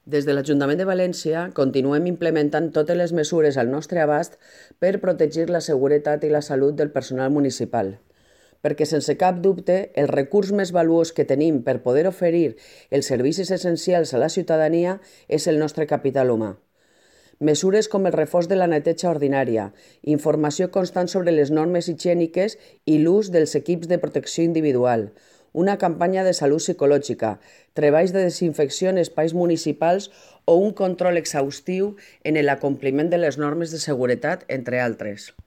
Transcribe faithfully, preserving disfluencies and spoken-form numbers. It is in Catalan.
Des de l'Ajuntament de València continuem implementant totes les mesures al nostre abast per protegir la seguretat i la salut del personal municipal, perquè sense cap dubte el recurs més valuós que tenim per poder oferir els servicis essencials a la ciutadania és el nostre capital humà. Mesures com el reforç de la neteja ordinària, informació constant sobre les normes higièniques i l'ús dels equips de protecció individual, una campanya de salut psicològica, treballs de desinfecció en espais municipals o un control exhaustiu en l'acompliment de les normes de seguretat, entre altres.